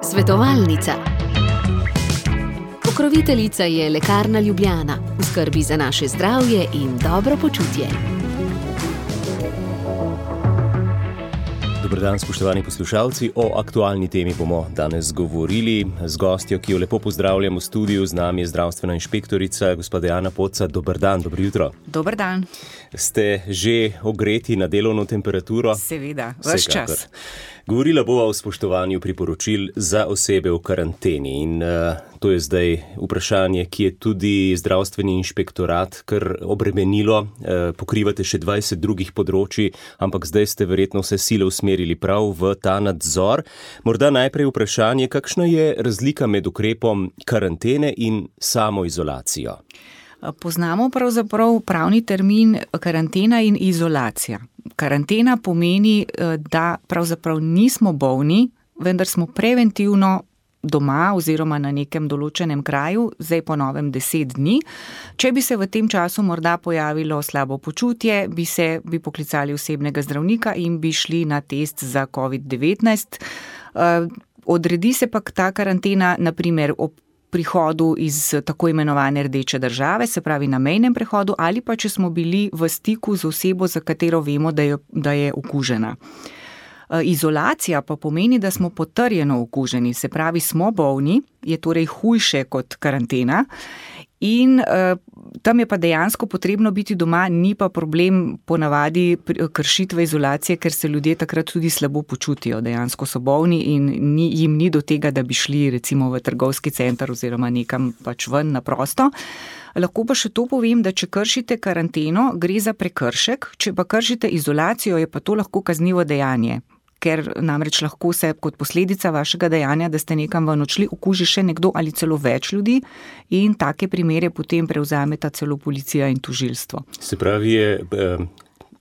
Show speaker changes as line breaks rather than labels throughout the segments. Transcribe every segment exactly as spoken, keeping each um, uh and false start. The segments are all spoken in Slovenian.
Svetovalnica. Pokroviteljica je Lekarna Ljubljana, v skrbi za naše zdravje in dobro počutje.
Dober dan, spoštovani poslušalci. O aktualni temi bomo danes govorili z gostjo, ki jo lepo pozdravljam v studiu. Z nami je zdravstvena inšpektorica, gospa Dejana Poca. Dober dan, dobro jutro.
Dober dan.
Ste že ogreti na delovno temperaturo?
Seveda, ves čas.
Govorila bova o spoštovanju priporočil za osebe v karanteni in uh, to je zdaj vprašanje, ki je tudi zdravstveni inšpektorat kar obremenilo. Uh, pokrivate še dvajset drugih področji, ampak zdaj ste verjetno vse sile usmerili prav v ta nadzor. Morda najprej vprašanje, kakšna je razlika med ukrepom karantene in samoizolacijo?
Poznamo pravzaprav pravni termin karantena in izolacija. Karantena pomeni, da pravzaprav nismo bolni, vendar smo preventivno doma oziroma na nekem določenem kraju, zdaj po novem deset dni. Če bi se v tem času morda pojavilo slabo počutje, bi se bi poklicali osebnega zdravnika in bi šli na test za covid devetnajst. Odredi se pa ta karantena na primer ob prihodu iz tako imenovane rdeče države, se pravi na mejnem prehodu, ali pa če smo bili v stiku z osebo, za katero vemo, da je, da je okužena. Izolacija pa pomeni, da smo potrjeno okuženi, se pravi smo bolni, je torej hujše kot karantena in uh, tam je pa dejansko potrebno biti doma, ni pa problem ponavadi kršitve izolacije, ker se ljudje takrat tudi slabo počutijo, dejansko so bolni in ni, jim ni do tega, da bi šli recimo v trgovski center oziroma nekam pač ven na prosto. Lahko pa še to povem, da če kršite karanteno, gre za prekršek, če pa kršite izolacijo, je pa to lahko kaznivo dejanje. Ker namreč lahko se kot posledica vašega dejanja, da ste nekam ven odšli, okuži še nekdo ali celo več ljudi in take primere potem prevzameta celo policija in tožilstvo.
Se pravi, je eh,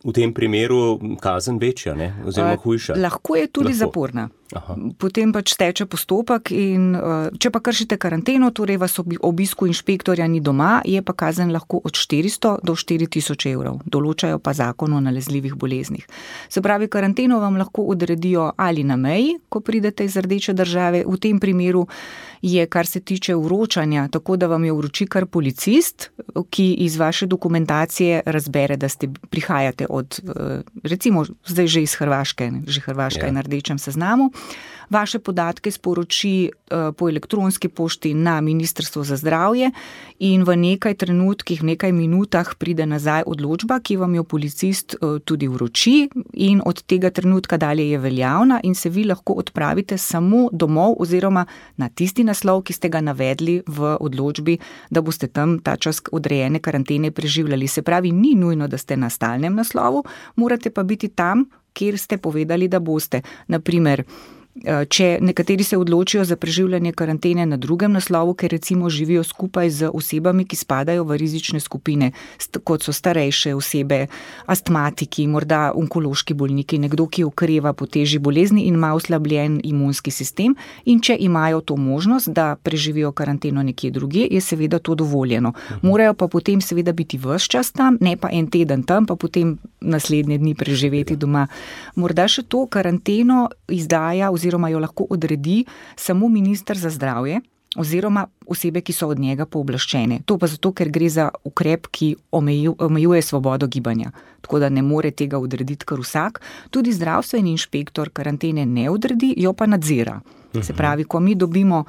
v tem primeru kazen večja, ne? Oziroma hujša?
Lahko je tudi lahko. Zaporna. Aha. Potem pač teče postopek in če pa kršite karanteno, torej vas obisku inšpektorja ni doma, je pa kazen lahko od štiristo do štiri tisoč evrov. Določajo pa zakon o nalezljivih boleznih. Se pravi, karanteno vam lahko odredijo ali na meji, ko pridete iz rdeče države. V tem primeru je, kar se tiče vročanja, tako da vam je vroči kar policist, ki iz vaše dokumentacije razbere, da ste prihajate od, recimo, zdaj že iz Hrvaške, že Hrvaška ja. Je na rdečem seznamu. Vaše podatke sporoči po elektronski pošti na Ministrstvo za zdravje in v nekaj trenutkih, v nekaj minutah pride nazaj odločba, ki vam jo policist tudi vroči in od tega trenutka dalje je veljavna in se vi lahko odpravite samo domov oziroma na tisti naslov, ki ste ga navedli v odločbi, da boste tam ta čas odrejene karantene preživljali. Se pravi, ni nujno, da ste na stalnem naslovu, morate pa biti tam, kjer ste povedali, da boste. Naprimer, če nekateri se odločijo za preživljanje karantene na drugem naslovu, ker recimo živijo skupaj z osebami, ki spadajo v rizične skupine, kot so starejše osebe, astmatiki, morda onkološki bolniki, nekdo, ki okreva po težji bolezni in ima oslabljen imunski sistem, in če imajo to možnost, da preživijo karanteno nekje drugje, je seveda to dovoljeno. Morajo pa potem seveda biti ves čas tam, ne pa en teden tam, pa potem naslednje dni preživeti doma. Morda še to karanteno izdaja oziroma jo lahko odredi samo minister za zdravje oziroma osebe, ki so od njega pooblaščene. To pa zato, ker gre za ukrep, ki omejuje svobodo gibanja. Tako da ne more tega odrediti kar vsak. Tudi zdravstveni inšpektor karantene ne odredi, jo pa nadzira. Se pravi, ko mi dobimo,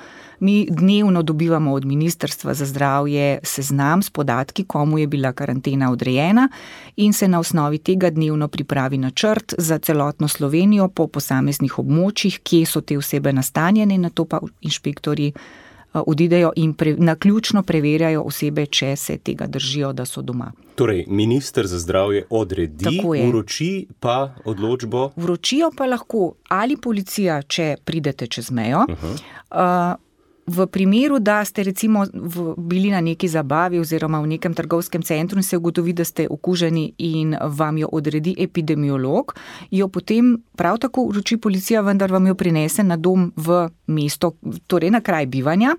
mi dnevno dobivamo od Ministrstva za zdravje seznam s podatki, komu je bila karantena odrejena in se na osnovi tega dnevno pripravi načrt za celotno Slovenijo po posameznih območjih, kje so te osebe nastanjene, na to pa inšpektori odidejo in pre, naključno preverjajo osebe, če se tega držijo, da so doma.
Torej, minister za zdravje odredi, vroči pa odločbo?
Vročijo pa lahko ali policija, če pridete čez mejo, uh-huh. uh, v primeru, da ste recimo v, bili na neki zabavi oziroma v nekem trgovskem centru in se ugotovi, da ste okuženi in vam jo odredi epidemiolog, jo potem prav tako vroči policija, vendar vam jo prinese na dom v mesto, torej na kraj bivanja.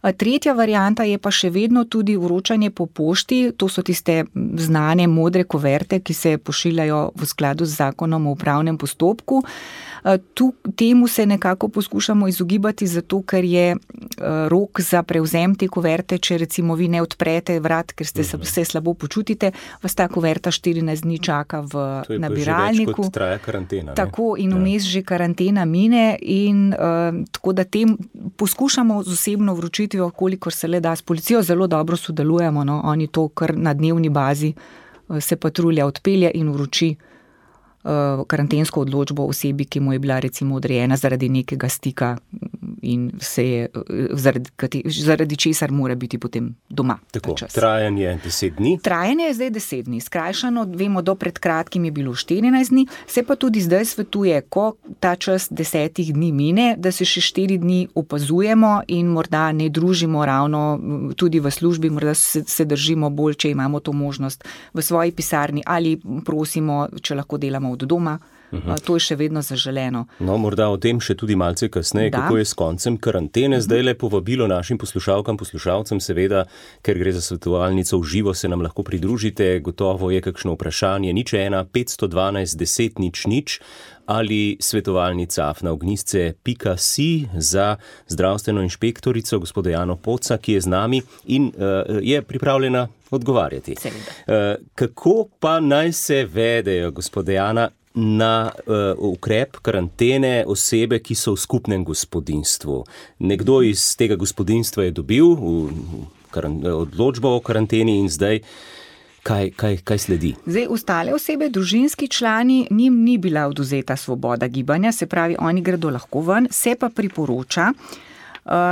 Tretja varianta je pa še vedno tudi vročanje po pošti, to so tiste znane modre kuverte, ki se pošiljajo v skladu z zakonom o upravnem postopku. Tu, temu se nekako poskušamo izogibati, zato ker je rok za prevzem te kuverte, če recimo vi ne odprete vrat, ker ste se slabo počutite, vas ta kuverta štirinajst dni čaka v nabiralniku.
To je pa že več, kot traja karantena.
Tako in vmes že karantena mine in uh, tako da tem poskušamo z osebno vročitvijo, kolikor se le da. S policijo zelo dobro sodelujemo, no? Oni to kar na dnevni bazi uh, se patrulja odpelje in vroči karantensko odločbo osebi, ki mu je bila recimo odrejena zaradi nekega stika in se je, zaradi, zaradi česar mora biti potem doma.
Tako, trajanje deset dni?
Trajanje je zdaj deset dni. Skrajšano, vemo, do pred kratkim je bilo štirinajst dni, se pa tudi zdaj svetuje, ko ta čas desetih dni mine, da se še štiri dni opazujemo in morda ne družimo ravno tudi v službi, morda se, se držimo bolj, če imamo to možnost v svoji pisarni ali prosimo, če lahko delamo od doma. Uh-huh. To je še vedno zaželeno.
No, morda o tem še tudi malce kasneje, da. Kako je s koncem karantene. Zdaj le povabilo našim poslušalkam, poslušalcem, seveda, ker gre za svetovalnico v živo, se nam lahko pridružite. Gotovo je kakšno vprašanje. Nič ena, petsto dvanajst, deset, nič, nič ali svetovalnica afna ognjisce pika si za zdravstveno inšpektorico, gospoda Jano Poca, ki je z nami in uh, je pripravljena odgovarjati. Uh, kako pa naj se vedejo, gospoda Jana, na uh, ukrep karantene osebe, ki so v skupnem gospodinjstvu? Nekdo iz tega gospodinjstva je dobil v, v karan, odločbo o karanteni in zdaj kaj, kaj, kaj sledi?
Zdaj, ostale osebe, družinski člani, njim ni bila odvzeta svoboda gibanja, se pravi, oni gredo lahko ven, se pa priporoča,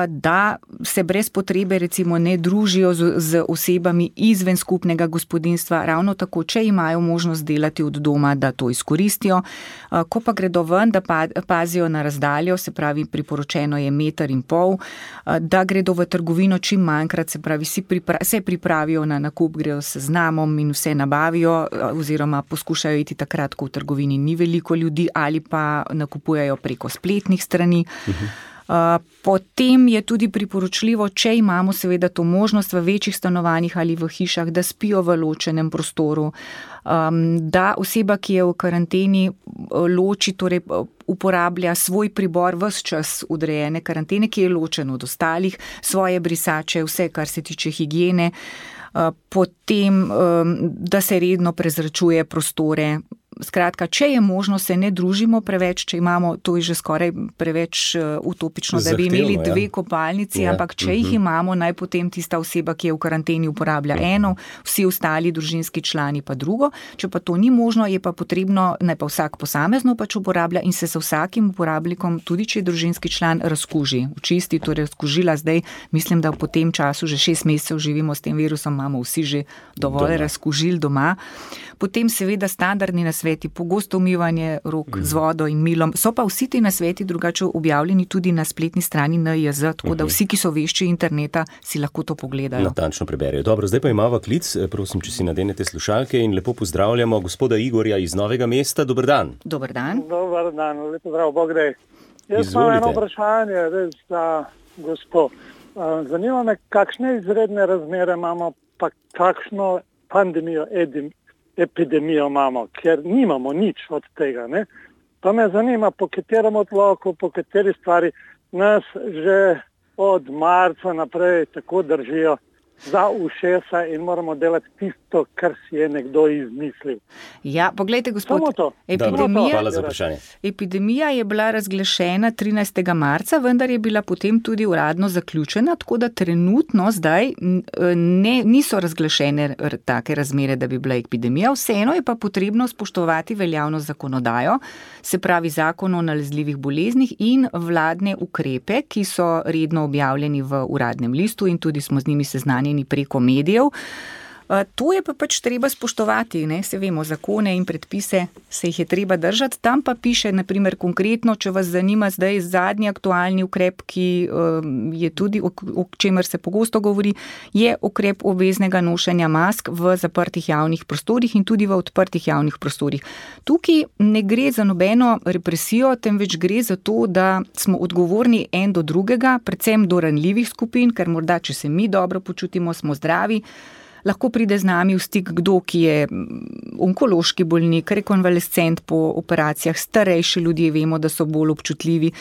da se brez potrebe recimo ne družijo z, z osebami izven skupnega gospodinjstva, ravno tako, če imajo možnost delati od doma, da to izkoristijo. Ko pa gredo ven, da pazijo na razdaljo, se pravi, priporočeno je meter in pol, da gredo v trgovino čim manjkrat, se pravi, si pripra- se pripravijo na nakup, gredo s seznamom in vse nabavijo, oziroma poskušajo iti takrat, ko v trgovini ni veliko ljudi ali pa nakupujejo preko spletnih strani. Uh-huh. Uh, potem je tudi priporočljivo, če imamo seveda to možnost v večjih stanovanjih ali v hišah, da spijo v ločenem prostoru, um, da oseba, ki je v karanteni, loči, torej uporablja svoj pribor ves čas odrejene karantene, ki je ločen od ostalih, svoje brisače, vse, kar se tiče higiene, uh, potem, um, da se redno prezračuje prostore. Skratka, če je možno, se ne družimo preveč, če imamo, to je že skoraj preveč utopično, da bi imeli dve kopalnici, ja. Ampak če uh-huh. jih imamo, naj potem tista oseba, ki je v karanteni, uporablja uh-huh. eno, vsi ostali družinski člani pa drugo. Če pa to ni možno, je pa potrebno, naj pa vsak posamezno pač uporablja in se sa vsakim uporabnikom, tudi če je družinski član, razkuži. Očisti, torej razkužila zdaj, mislim, da po tem času že šest mesecev živimo s tem virusom, imamo vsi že dovolj doma. Razkužil doma. Potem seveda standardni nasveti, pogosto umivanje rok mm. z vodo in milom. So pa vsi ti nasveti drugače objavljeni tudi na spletni strani N I J, tako da vsi, ki so vešči interneta, si lahko to pogledajo.
Natančno preberijo. Dobro, zdaj pa imamo klic, prosim, če si nadenete slušalke in lepo pozdravljamo gospoda Igorja iz Novega mesta. Dober dan.
Dober dan.
Dober dan, lepo zdrav, Bog dej. Jaz imam eno vprašanje res za gospod. Zanima me, kakšne izredne razmere imamo, pa kakšno pandemijo edim. epidemijo imamo, ker nimamo nič od tega. Ne? Pa me zanima, po katerem odloku, po kateri stvari nas že od marca naprej tako držijo za ušesa in moramo delati tisto, kar si je nekdo izmislil.
Ja, poglejte, gospod,
epidemija, hvala za vprašanje.
Epidemija je bila razglašena trinajstega marca, vendar je bila potem tudi uradno zaključena, tako da trenutno zdaj ne, niso razglašene take razmere, da bi bila epidemija. Vseeno je pa potrebno spoštovati veljavno zakonodajo, se pravi zakon o nalezljivih boleznih in vladne ukrepe, ki so redno objavljeni v uradnem listu in tudi smo z njimi seznanjeni preko medijev. To je pa pač treba spoštovati, ne? Se vemo, zakone in predpise se jih je treba držati. Tam pa piše, naprimer, konkretno, če vas zanima zdaj zadnji aktualni ukrep, ki je tudi, o čemer se pogosto govori, je ukrep obveznega nošenja mask v zaprtih javnih prostorih in tudi v odprtih javnih prostorih. Tukaj ne gre za nobeno represijo, temveč gre za to, da smo odgovorni en do drugega, predvsem do ranljivih skupin, ker morda, če se mi dobro počutimo, smo zdravi, lahko pride z nami v stik kdo, ki je onkološki bolnik, rekonvalescent po operacijah, starejši ljudje, vemo, da so bolj občutljivi.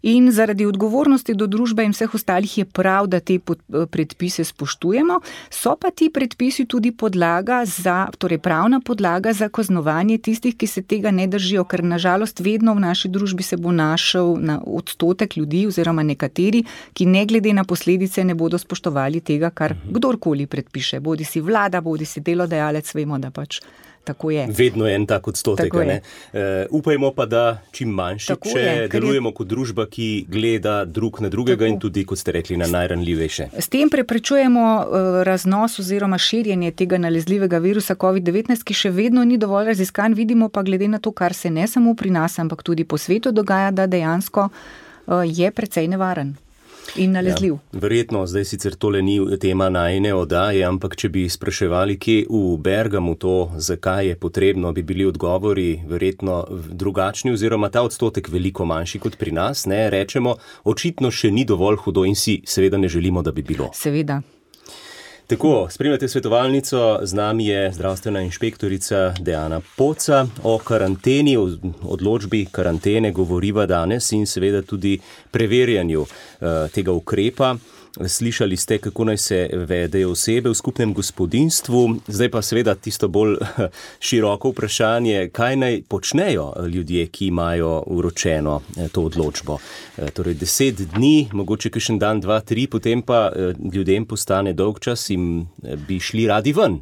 In zaradi odgovornosti do družbe in vseh ostalih je prav, da te predpise spoštujemo. So pa ti predpisi tudi podlaga za, torej pravna podlaga za kaznovanje tistih, ki se tega ne držijo, ker nažalost vedno v naši družbi se bo našel na odstotek ljudi oziroma nekateri, ki ne glede na posledice ne bodo spoštovali tega, kar kdorkoli predpiše. Bodi si vlada, bodi si delodajalec, vemo, da pač tako je.
Vedno je en tak odstotek. Ne? Uh, upajmo pa, da čim manjši,
tako
če
je,
delujemo
je...
kot družba, ki gleda drug na drugega tako. In tudi, kot ste rekli, na najranljivejše.
S tem preprečujemo uh, raznos oziroma širjenje tega nalezljivega virusa covid devetnajst, ki še vedno ni dovolj raziskan. Vidimo pa glede na to, kar se ne samo pri nas, ampak tudi po svetu dogaja, da dejansko uh, je precej nevaren. In nalezljiv.
Ja, verjetno, zdaj sicer tole ni tema najine oddaje, ampak če bi spraševali, kje v Bergamu to, zakaj je potrebno, bi bili odgovori verjetno drugačni oziroma ta odstotek veliko manjši kot pri nas. Ne? Rečemo, očitno še ni dovolj hudo in si seveda ne želimo, da bi bilo.
Seveda.
Tako, spremljate svetovalnico, z nami je zdravstvena inšpektorica Dejana Poca. O karanteni, o odločbi karantene govoriva danes in seveda tudi preverjanju uh, tega ukrepa. Slišali ste, kako naj se vedejo osebe v skupnem gospodinjstvu. Zdaj pa seveda tisto bolj široko vprašanje, kaj naj počnejo ljudje, ki imajo vročeno to odločbo. Torej deset dni, mogoče kakšen dan, dva, tri, potem pa ljudem postane dolgčas in bi šli radi ven.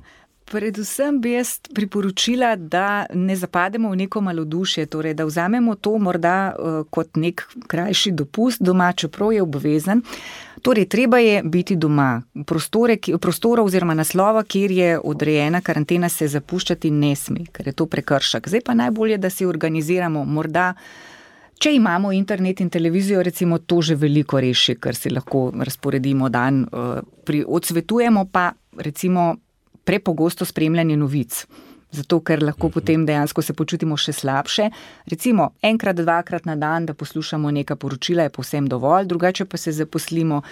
Predvsem bi jaz priporočila, da ne zapademo v neko malodušje, torej da vzamemo to morda uh, kot nek krajši dopust doma, čeprav je obvezen. Torej, treba je biti doma. Prostore, prostora oziroma naslova, kjer je odrejena karantena, se zapuščati ne sme, ker je to prekršek. Zdaj pa najbolje, da si organiziramo morda, če imamo internet in televizijo, recimo to že veliko reši, ker si lahko razporedimo dan. Uh, pri, odsvetujemo pa recimo prepogosto spremljanje novic. Zato, ker lahko potem dejansko se počutimo še slabše. Recimo, enkrat, dvakrat na dan, da poslušamo neka poročila, je povsem dovolj, drugače pa se zaposlimo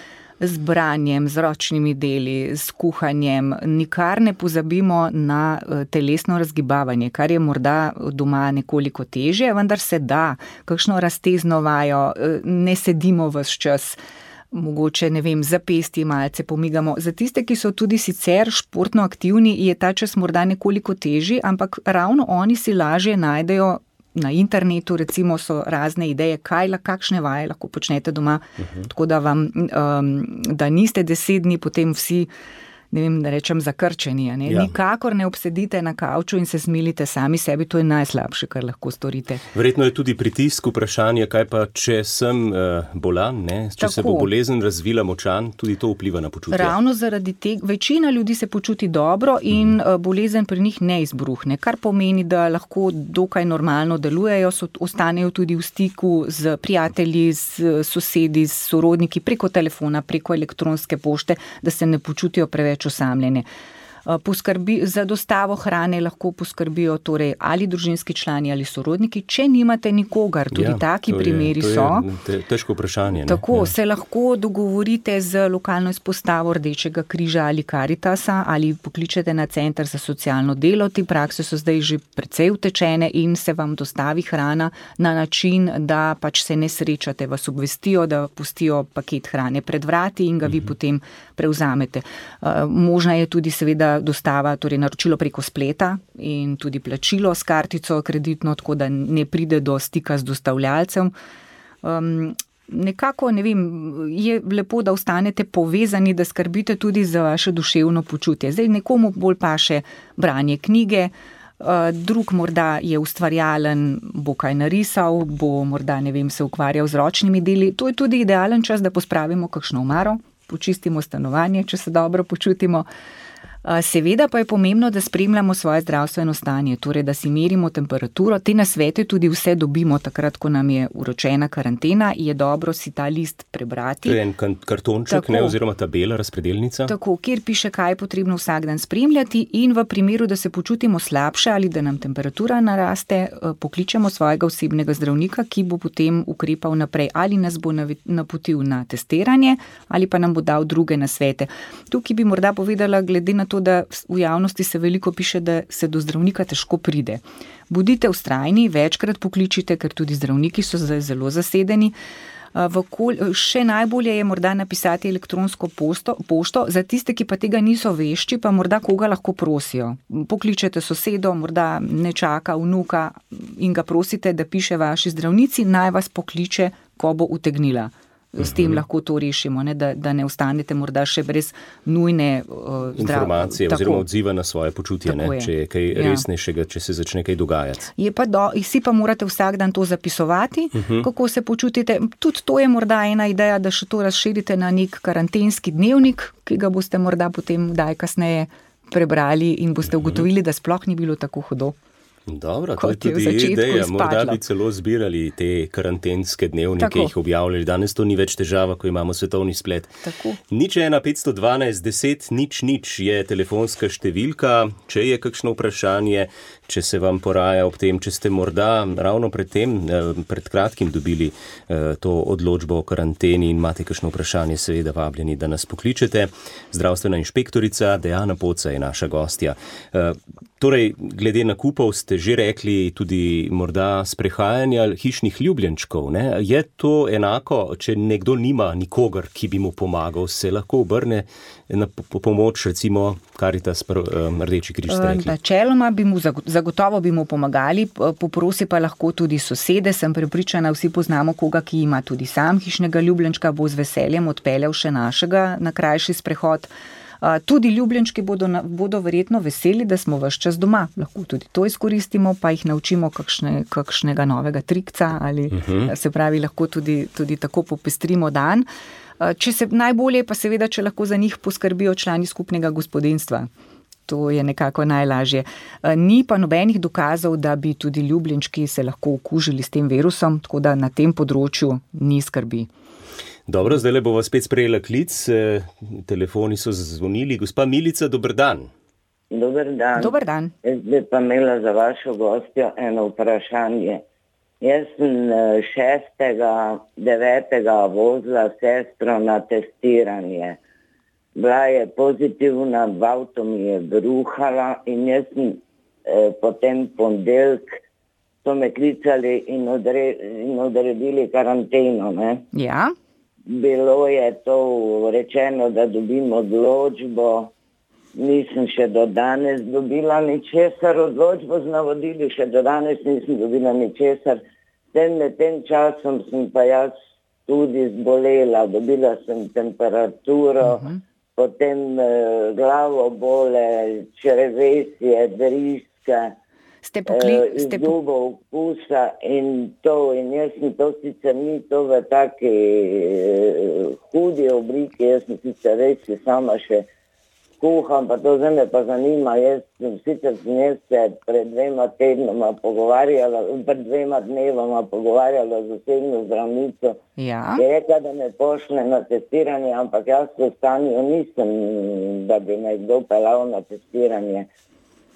z branjem, z ročnimi deli, s kuhanjem. Nikar ne pozabimo na telesno razgibavanje, kar je morda doma nekoliko težje, vendar se da, kakšno raztezno vajo, ne sedimo ves čas. Mogoče, ne vem, zapesti malce pomigamo. Za tiste, ki so tudi sicer športno aktivni, je ta čas morda nekoliko težji, ampak ravno oni si lažje najdejo na internetu, recimo so razne ideje, kaj, kakšne vaje lahko počnete doma, uh-huh. Tako da vam, um, da niste deset dni potem vsi, ne vem, da rečem, zakrčeni. Ne? Ja. Nikakor ne obsedite na kavču in se smilite sami sebi, to je najslabše, kar lahko storite.
Verjetno je tudi pritisk, vprašanje, kaj pa, če sem uh, bolan, ne? Če Tako. Se bo bolezen razvila močan, tudi to vpliva na počutje.
Ravno zaradi tega, večina ljudi se počuti dobro in mm. bolezen pri njih ne izbruhne, kar pomeni, da lahko dokaj normalno delujejo, so, ostanejo tudi v stiku z prijatelji, z sosedi, z sorodniki, preko telefona, preko elektronske pošte, da se ne počutijo preveč osamljene. Poskrbi, za dostavo hrane lahko poskrbijo torej ali družinski člani ali sorodniki, če nimate nikogar, tudi ja, taki primeri
je,
so.
To je težko vprašanje. Ne?
Tako,
ja.
Se lahko dogovorite z lokalno izpostavo Rdečega križa ali Karitasa ali pokličete na center za socialno delo. Te prakse so zdaj že precej utečene in se vam dostavi hrana na način, da pač se ne srečate, vas obvestijo, da pustijo paket hrane pred vrati in ga vi uh-huh. potem prevzamete. Uh, možna je tudi seveda dostava, torej naročilo preko spleta in tudi plačilo s kartico kreditno, tako da ne pride do stika z dostavljalcem. Um, nekako, ne vem, je lepo, da ostanete povezani, da skrbite tudi za vaše duševno počutje. Zdaj nekomu bolj paše branje knjige, uh, drug morda je ustvarjalen, bo kaj narisal, bo morda, ne vem, se ukvarjal z ročnimi deli. To je tudi idealen čas, da pospravimo kakšno omaro, počistimo stanovanje, če se dobro počutimo. Seveda pa je pomembno, da spremljamo svoje zdravstveno stanje, torej da si merimo temperaturo. Te nasvete tudi vse dobimo takrat, ko nam je uročena karantena. Je dobro si ta list prebrati.
To je en kartonček, ne, oziroma tabela, razpredelnica.
Tako, kjer piše, kaj je potrebno vsak dan spremljati, in v primeru, da se počutimo slabše ali da nam temperatura naraste, pokličemo svojega osebnega zdravnika, ki bo potem ukrepal naprej, ali nas bo napotil na testiranje ali pa nam bo dal druge nasvete. Tukaj bi morda povedala, glede na to, da v javnosti se veliko piše, da se do zdravnika težko pride. Bodite vztrajni, večkrat pokličite, ker tudi zdravniki so zdaj zelo zasedeni. Kol, še najbolje je morda napisati elektronsko pošto, pošto, za tiste, ki pa tega niso vešči, pa morda koga lahko prosijo. Pokličete sosedo, morda ne čaka vnuka in ga prosite, da piše vaši zdravnici, naj vas pokliče, ko bo utegnila. S tem lahko to rešimo, ne? Da, da ne ostanete morda še brez nujne uh, zdrav...
informacije oziroma odziva na svoje počutje, ne? Je. Če je kaj ja. resnejšega, če se začne kaj dogajati.
Je pa do, si pa morate vsak dan to zapisovati, uh-huh. kako se počutite. Tudi to je morda ena ideja, da še to razširite na nek karantenski dnevnik, ki ga boste morda potem daj kasneje prebrali in boste ugotovili, da sploh ni bilo tako hudo.
Dobro, to je tudi ideja. Morda bi celo zbirali te karantenske dnevnike, Tako. jih objavljali. Danes to ni več težava, ko imamo svetovni splet.
Tako.
Nič ena petsto dvanajst deset nič nič je telefonska številka. Če je kakšno vprašanje, če se vam poraja ob tem, če ste morda ravno pred tem, pred kratkim dobili to odločbo o karanteni in imate kakšno vprašanje, seveda vabljeni, da nas pokličete. Zdravstvena inšpektorica Dejana Poca je naša gostja. Torej, glede nakupov ste že rekli tudi morda sprehajanja hišnih ljubljenčkov. Ne? Je to enako, če nekdo nima nikogar, ki bi mu pomagal, se lahko obrne na pomoč, recimo Karitas, Rdeči križ ste rekli?
Načeloma bi mu zagotovo bi mu pomagali, poprosi pa lahko tudi sosede. Sem prepričana, vsi poznamo koga, ki ima tudi sam hišnega ljubljenčka, bo z veseljem odpeljal še našega na krajši sprehod. Tudi ljubljenčki bodo, bodo verjetno veseli, da smo ves čas doma. Lahko tudi to izkoristimo, pa jih naučimo kakšne, kakšnega novega trikca ali uh-huh. se pravi, lahko tudi, tudi tako popestrimo dan. Če se najbolje pa seveda, če lahko za njih poskrbijo člani skupnega gospodinjstva. To je nekako najlažje. Ni pa nobenih dokazov, da bi tudi ljubljenčki se lahko okužili s tem virusom, tako da na tem področju ni skrbi.
Dobro, zdaj le bova spet sprejela klic. Telefoni so zazvonili. Gospa Milica, dober dan.
Dober dan.
Dober dan.
Jaz bi pa imela za vašo gostjo eno vprašanje. Jaz sem šestega, devetega vozila sestro na testiranje. Bila je pozitivna, v avto mi je bruhala in jaz sem eh, potem pondelk so me klicali in, odre, in odredili karanteno. Ne?
Ja.
Bilo je to rečeno, da dobim odločbo, nisem še do danes dobila ničesar, odločbo z navodili, še do danes nisem dobila ničesar. Med tem časom sem pa jaz tudi zbolela, dobila sem temperaturo, uh-huh. potem eh, glavo bole, črevesje, driske,
Ste pokli...
Ste po... Izgubo okusa in to, in jaz sem to sicer ni to v taki uh, hudi obliki, jaz sem sicer res sama še kuham, pa to zdaj me pa zanima, jaz sem sicer sem jaz se pred dvema tednoma pogovarjala, pred dvema dnevoma pogovarjala z osebno zdravnico,
ja.
je rekla, da me pošle na testiranje, ampak jaz v stanju nisem, da bi me kdo pelal na testiranje.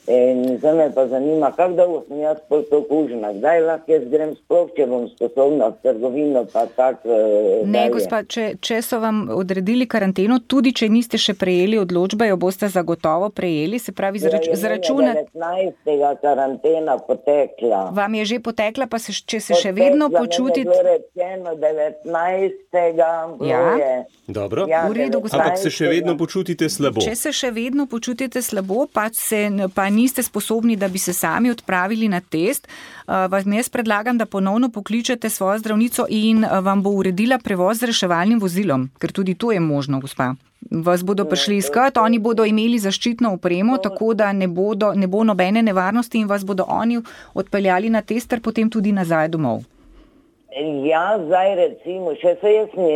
In zdaj me pa zanima, kako dolgo sem jaz pol to kužena, kdaj lahko jaz grem sploh, če bom sposobna v trgovino, pa tak e,
Ne, gospa, če, če so vam odredili karanteno, tudi če niste še prejeli odločbe, jo boste zagotovo prejeli, se pravi zrač,
ja,
zračuna...
devetnajstega karantena potekla.
Vam je že potekla, pa se, če se potekla, še vedno počutite...
Potekla, ne rečeno devetnajstega
Ja,
je,
dobro,
ja,
v redu, gospa.
Ampak se še vedno počutite slabo.
Če se še vedno počutite slabo, pa se... Pa niste sposobni, da bi se sami odpravili na test, vam jaz predlagam, da ponovno pokličete svojo zdravnico in vam bo uredila prevoz z reševalnim vozilom, ker tudi to je možno, gospa. Vas bodo prišli iskat, oni bodo imeli zaščitno opremo, tako da ne, bodo, ne bo nobene nevarnosti in vas bodo oni odpeljali na test, ter potem tudi nazaj domov.
Ja, zdaj recimo, še se jaz mi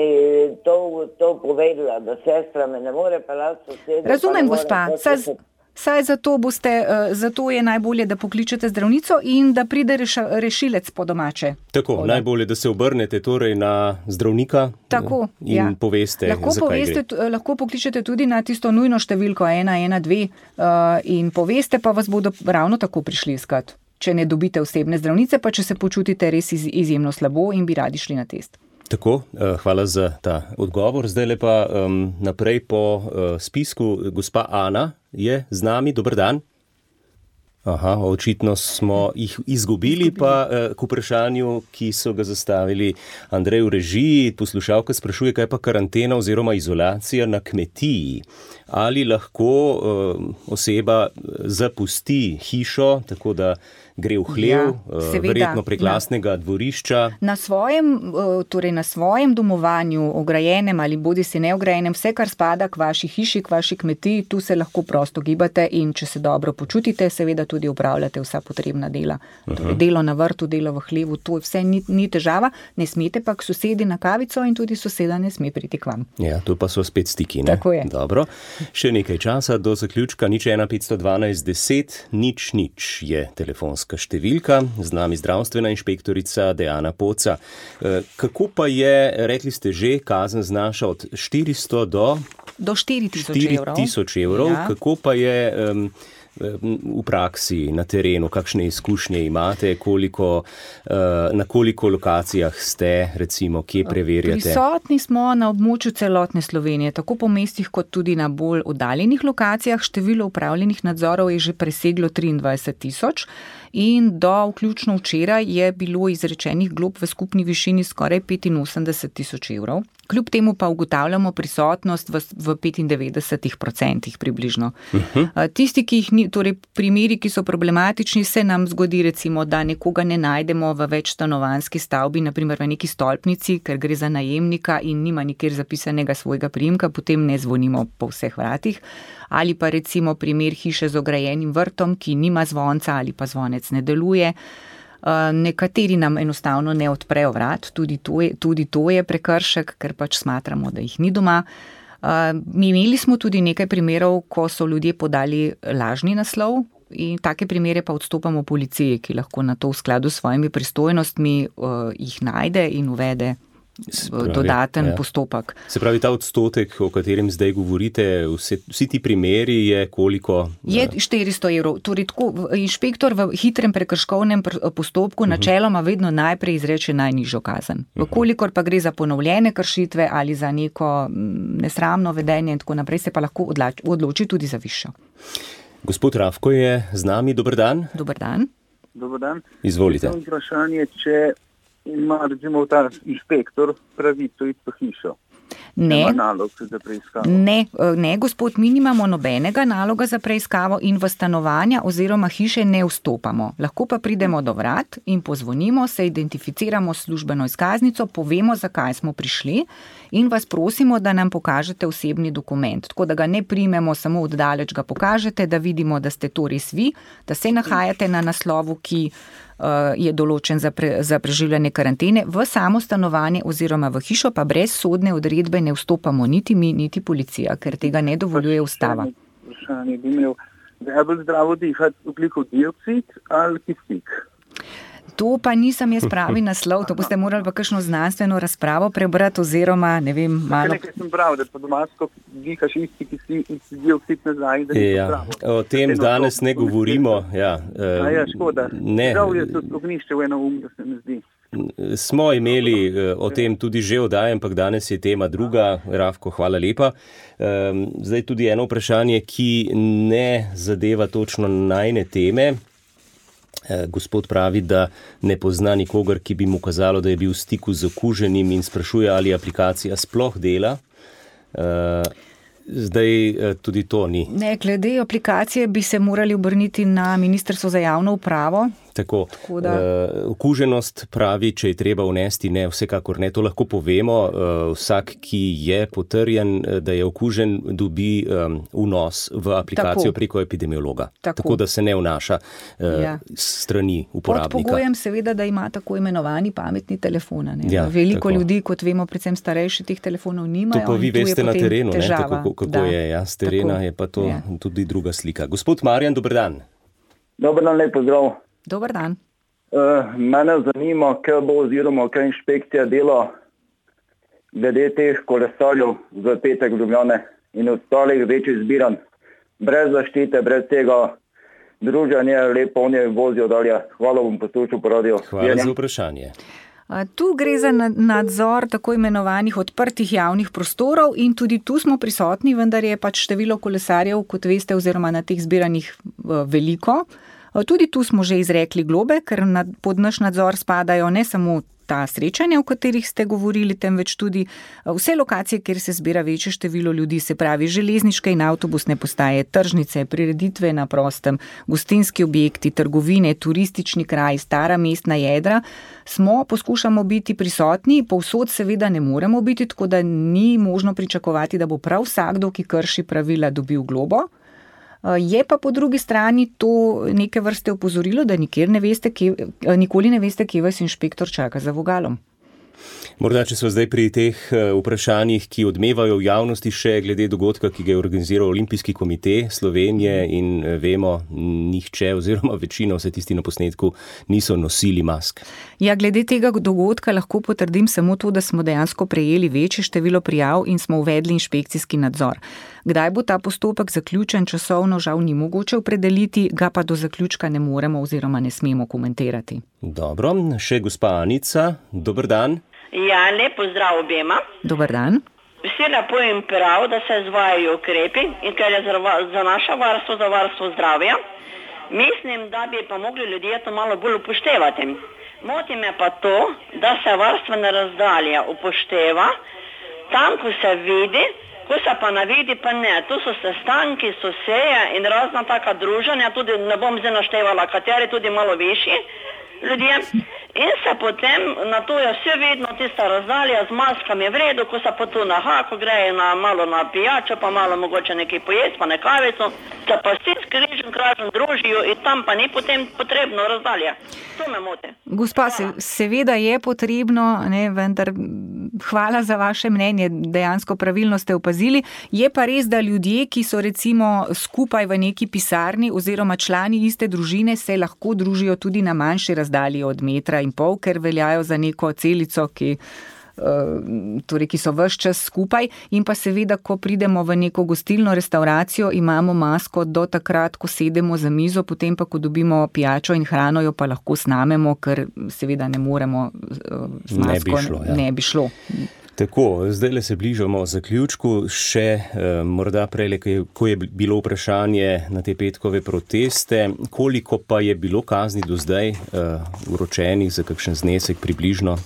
to, to povedala, da sestra me ne more pelati sosedov.
Razumem, gospa, saj, saj zato, boste, zato je najbolje, da pokličete zdravnico in da pride reš, rešilec po domače.
Tako, Oda. najbolje, da se obrnete torej na zdravnika
Tako,
in
ja.
poveste,
lahko
zakaj
poveste,
gre.
Lahko pokličete tudi na tisto nujno številko ena ena dve uh, in poveste, pa vas bodo ravno tako prišli iskat. Če ne dobite osebne zdravnice, pa če se počutite res iz, izjemno slabo in bi radi šli na test.
Tako, hvala za ta odgovor. Zdaj lepa um, naprej po uh, spisku. Gospa Ana je z nami. Dober dan. Aha, očitno smo jih izgubili, pa uh, k vprašanju, ki so ga zastavili Andrej v režiji. Poslušalka sprašuje, kaj pa karantena oziroma izolacija na kmetiji. Ali lahko uh, oseba zapusti hišo, tako da gre v hlev, ja, seveda, verjetno prek lastnega dvorišča.
Na svojem, torej na svojem domovanju, ograjenem ali bodi si neograjenem, vse, kar spada k vaši hiši, k vaši kmetiji, tu se lahko prosto gibate in če se dobro počutite, seveda tudi upravljate vsa potrebna dela. Torej, delo na vrtu, delo v hlevu, to vse ni, ni težava, ne smete pa k sosedi na kavico in tudi soseda ne sme priti k vam.
Ja, tu pa so spet stiki, ne?
Tako je.
Dobro. Še nekaj časa do zaključka, nič ena petsto dvanajst deset, nič nič je telefonska številka, z nami zdravstvena inšpektorica Dejana Poca. Kako pa je, rekli ste že, kazen znaša od štiristo do...
Do štiri tisoč evrov.
Ja. Kako pa je um, v praksi, na terenu, kakšne izkušnje imate, koliko, na koliko lokacijah ste, recimo, kje preverjate?
Prisotni smo na območju celotne Slovenije, tako po mestih kot tudi na bolj oddaljenih lokacijah. Število upravljenih nadzorov je že preseglo triindvajset tisoč in do vključno včeraj je bilo izrečenih glob v skupni višini skoraj petinosemdeset tisoč evrov. Kljub temu pa ugotavljamo prisotnost v, v petindevetdesetih procentih približno. Uh-huh. Tisti, ki jih ni, torej primeri, ki so problematični, se nam zgodi recimo, da nekoga ne najdemo v večstanovanjski stavbi, naprimer v neki stolpnici, ker gre za najemnika in nima nikjer zapisanega svojega priimka, potem ne zvonimo po vseh vratih. Ali pa recimo primer hiše z ograjenim vrtom, ki nima zvonca ali pa zvonec ne deluje. Uh, nekateri nam enostavno ne odprejo vrat, tudi to je, tudi to je prekršek, ker pač smatramo, da jih ni doma. Uh, mi imeli smo tudi nekaj primerov, ko so ljudje podali lažni naslov in take primere pa odstopamo policiji, ki lahko na to v skladu s svojimi pristojnostmi uh, jih najde in uvede Spravi, dodaten ja. postopek.
Se pravi, ta odstotek, o katerem zdaj govorite, vse, vsi ti primeri je koliko?
Je štiristo evrov. Torej, tako, inšpektor v hitrem prekrškovnem postopku uh-huh. načeloma vedno najprej izreče najnižjo kazen. Uh-huh. Vkolikor pa gre za ponovljene kršitve ali za neko nesramno vedenje in tako naprej, se pa lahko odloči, odloči tudi za višjo.
Gospod Rafko je z nami. Dober dan.
Dober dan.
Dober dan.
Izvolite.
Vprašanje, če ima recimo ta inšpektor pravico iti po hišo.
Ne,
nalog za preiskavo.
Ne, ne, gospod, mi nimamo nobenega naloga za preiskavo in v stanovanja oziroma hiše ne vstopamo. Lahko pa pridemo do vrat in pozvonimo, se identificiramo s službeno izkaznico, povemo, zakaj smo prišli in vas prosimo, da nam pokažete osebni dokument. Tako da ga ne primemo, samo oddaleč ga pokažete, da vidimo, da ste to res vi, da se nahajate na naslovu, ki je določen za, pre, za preživljanje karantene, v samo stanovanje oziroma v hišo pa brez sodne odredbe ne vstopamo niti mi, niti policija, ker tega ne dovoljuje ustava.
Vprašanje bi imel, da je bolj zdravo dihati ogljikov dioksid ali kisik?
To pa nisem jaz pravi naslov, to boste morali pa kakšno znanstveno razpravo prebrati oziroma, ne vem, malo...
Nekaj sem prav, da pa domasko dihaš isti dioksid nazaj, da ni
ja,
zdravo.
O tem danes ne govorimo. Ja,
uh, A ja, škoda.
Ne.
Prav je to ognišče v eno um, da se mi zdi.
Smo imeli o tem tudi že oddaje, ampak danes je tema druga. Rafko, hvala lepa. Zdaj tudi eno vprašanje, ki ne zadeva točno najne teme. Gospod pravi, da ne pozna nikogar, ki bi mu kazalo, da je bil v stiku z okuženim in sprašuje, ali aplikacija sploh dela. Zdaj tudi to ni.
Ne, glede aplikacije bi se morali obrniti na Ministrstvo za javno upravo.
Tako, Tako da... uh, okuženost pravi, če je treba vnesti, ne, vsekakor ne, to lahko povemo. Uh, vsak, ki je potrjen, da je okužen, dobi um, vnos v aplikacijo Tako. preko epidemiologa. Tako. Tako da se ne vnaša uh, ja. strani uporabnika.
Pod pogojem seveda, da ima tako imenovani pametni telefon. Ja, Veliko tako. ljudi, kot vemo, predvsem starejši, teh telefonov nimajo.
To pa vi veste na terenu, ne, tako, kako da. je. Ja, z terena tako. je pa to ja. tudi druga slika. Gospod Marjan, dober dan.
Dober dan, lep pozdrav.
Dober dan.
Uh, mene zanima, kaj bo oziroma kaj inšpekcija dela glede teh kolesarjev v petek v Ljubljane in ostalih večjih zbiranj. Brez zaštite, brez tega druženja, lepo oni vozijo dalje. Hvala, bom poslušal po radiju.
Hvala za vprašanje.
Tu gre za nadzor tako imenovanih odprtih javnih prostorov in tudi tu smo prisotni, vendar je pač število kolesarjev, kot veste, oziroma na teh zbiranjih veliko. Tudi tu smo že izrekli globe, ker pod naš nadzor spadajo ne samo ta srečanja, o katerih ste govorili, temveč tudi vse lokacije, kjer se zbira večje število ljudi, se pravi železniške in avtobusne postaje, tržnice, prireditve na prostem, gostinski objekti, trgovine, turistični kraj, stara mestna jedra. Smo, poskušamo biti prisotni, povsod seveda ne moremo biti, tako da ni možno pričakovati, da bo prav vsakdo, ki krši pravila, dobil globo. Je pa po drugi strani to neke vrste opozorilo, da nikjer ne veste, kje, nikoli ne veste, kje vas inšpektor čaka za vogalom.
Morda, če so zdaj pri teh vprašanjih, ki odmevajo v javnosti še glede dogodka, ki ga je organiziral Olimpijski komite Slovenije in vemo, nihče oziroma večina, vse tisti na posnetku, niso nosili mask.
Ja, glede tega dogodka lahko potrdim samo to, da smo dejansko prejeli večje število prijav in smo uvedli inšpekcijski nadzor. Kdaj bo ta postopek zaključen, časovno žal ni mogoče opredeliti, ga pa do zaključka ne moremo oziroma ne smemo komentirati.
Dobro, še gospa Anica, dober dan.
Ja, lep pozdrav obema.
Dober dan.
Vsi lepo in prav, da se izvajajo ukrepi in ker je za naše varstvo, za varstvo zdravja, mislim, da bi pa mogli ljudje to malo bolj upoštevati. Moti me pa to, da se varstvena razdalja upošteva tam, ko se vidi, ko se pa ne vidi, pa ne. Tu so sestanki, so seje in razna taka druženja, tudi ne bom zdaj naštevala, kateri tudi malo višji ljudje. In se potem na to je vse vedno tista razdalja z maskami v redu, ko se pa tu na hako grejo na, malo na pijačo, pa malo mogoče nekaj pojesti, pa ne kavico, se pa vsi skrižen kražen družijo in tam pa ni potem potrebno razdalja. To me moti.
Gospa, se, seveda je potrebno, ne, vendar hvala za vaše mnenje, dejansko pravilno ste opazili. Je pa res, da ljudje, ki so recimo skupaj v neki pisarni oziroma člani iste družine, se lahko družijo tudi na manjši razdalji od metra in pol, ker veljajo za neko celico, ki, torej, ki so ves čas skupaj. In pa seveda, ko pridemo v neko gostilno restauracijo, imamo masko do takrat, ko sedemo za mizo, potem pa, ko dobimo pijačo in hrano, jo pa lahko snamemo, ker seveda ne moremo z masko,
ne bi šlo. Ja.
Ne bi šlo.
Tako, zdaj le se bližamo zaključku, še eh, morda prej, ko je bilo vprašanje na te petkove proteste, koliko pa je bilo kazni do zdaj eh, vročenih, za kakšen znesek približno?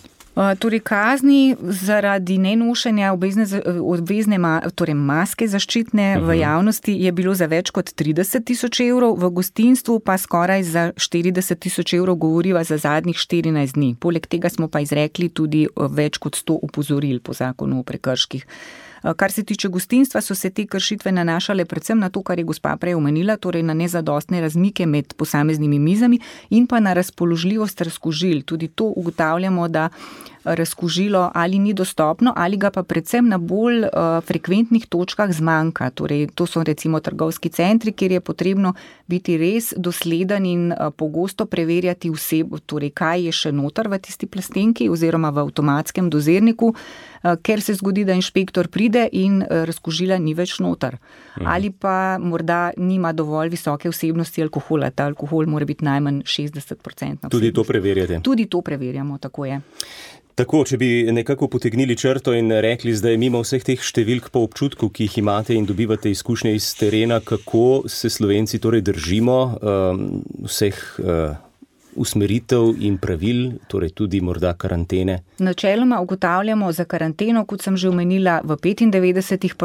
Torej, kazni zaradi nenošenja obvezne, obvezne torej maske zaščitne uh-huh. v javnosti je bilo za več kot trideset tisoč evrov, v gostinstvu pa skoraj za štirideset tisoč evrov, govoriva za zadnjih štirinajst dni. Poleg tega smo pa izrekli tudi več kot sto opozoril po zakonu o prekrških. Kar se tiče gostinstva, so se te kršitve nanašale predvsem na to, kar je gospa prej omenila, torej na nezadostne razmike med posameznimi mizami in pa na razpoložljivost razkužil. Tudi to ugotavljamo, da razkužilo ali ni dostopno, ali ga pa predvsem na bolj uh, frekventnih točkah zmanjka. Torej, to so recimo trgovski centri, kjer je potrebno biti res dosleden in uh, pogosto preverjati vsebo, torej kaj je še noter v tisti plastenki oziroma v avtomatskem dozirniku, uh, ker se zgodi, da inšpektor pride in uh, razkužila ni več noter. Mhm. Ali pa morda nima dovolj visoke vsebnosti alkohola. Ta alkohol mora biti najmanj šestdeset procentov.
Tudi to preverjate?
Tudi to preverjamo, tako je.
Tako, če bi nekako potegnili črto in rekli zdaj mimo vseh teh številk po občutku, ki jih imate in dobivate izkušnje iz terena, kako se Slovenci torej držimo um, vseh uh, usmeritev in pravil, torej tudi morda karantene?
Načeloma ugotavljamo za karanteno, kot sem že omenila, v petindevetdesetih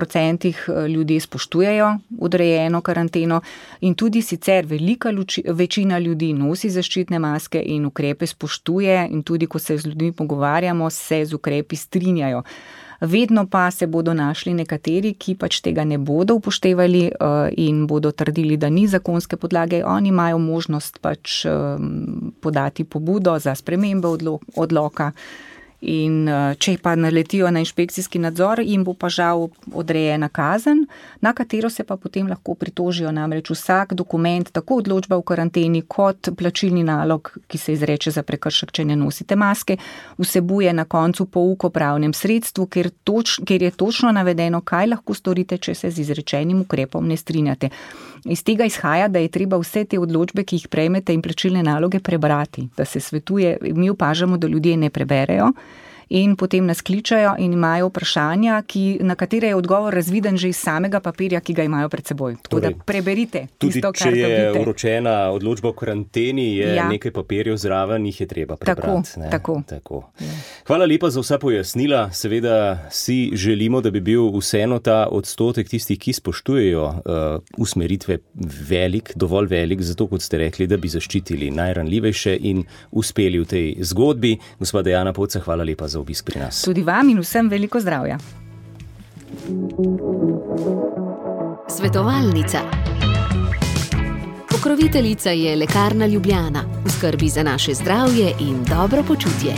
odstotkih ljudi spoštujejo odrejeno karanteno in tudi sicer velika luči, večina ljudi nosi zaščitne maske in ukrepe spoštuje in tudi, ko se z ljudmi pogovarjamo, se z ukrepi strinjajo. Vedno pa se bodo našli nekateri, ki pač tega ne bodo upoštevali in bodo trdili, da ni zakonske podlage. Oni imajo možnost pač podati pobudo za spremembe odloka. In če pa naletijo na inšpekcijski nadzor, jim bo pa žal odrejena kazen, na katero se pa potem lahko pritožijo. Namreč vsak dokument, tako odločba v karanteni kot plačilni nalog, ki se izreče za prekršek, če ne nosite maske, vsebuje na koncu pouk o pravnem sredstvu, kjer, toč, kjer je točno navedeno, kaj lahko storite, če se z izrečenim ukrepom ne strinjate. Iz tega izhaja, da je treba vse te odločbe, ki jih prejmete in plačilne naloge prebrati, da se svetuje. Mi opažamo, da ljudje ne preberejo in potem nas kličajo in imajo vprašanja, ki, na katere je odgovor razviden že iz samega papirja, ki ga imajo pred seboj. Tako torej, da preberite tisto, kar dobite.
Tudi če je vročena odločba o karanteni, je ja. nekaj papirjev zraven, jih je treba prebrati.
Tako, tako.
tako. Ja. Hvala lepa za vsa pojasnila. Seveda si želimo, da bi bil vseeno ta odstotek tistih, ki spoštujejo uh, usmeritve velik, dovolj velik, zato kot ste rekli, da bi zaščitili najranljivejše in uspeli v tej zgodbi. Gospa Dejana Poca, hvala lepa za obisk pri nas.
Tudi vam in vsem veliko zdravja.
Svetovalnica. Pokroviteljica je Lekarna Ljubljana v skrbi za naše zdravje in dobro počutje.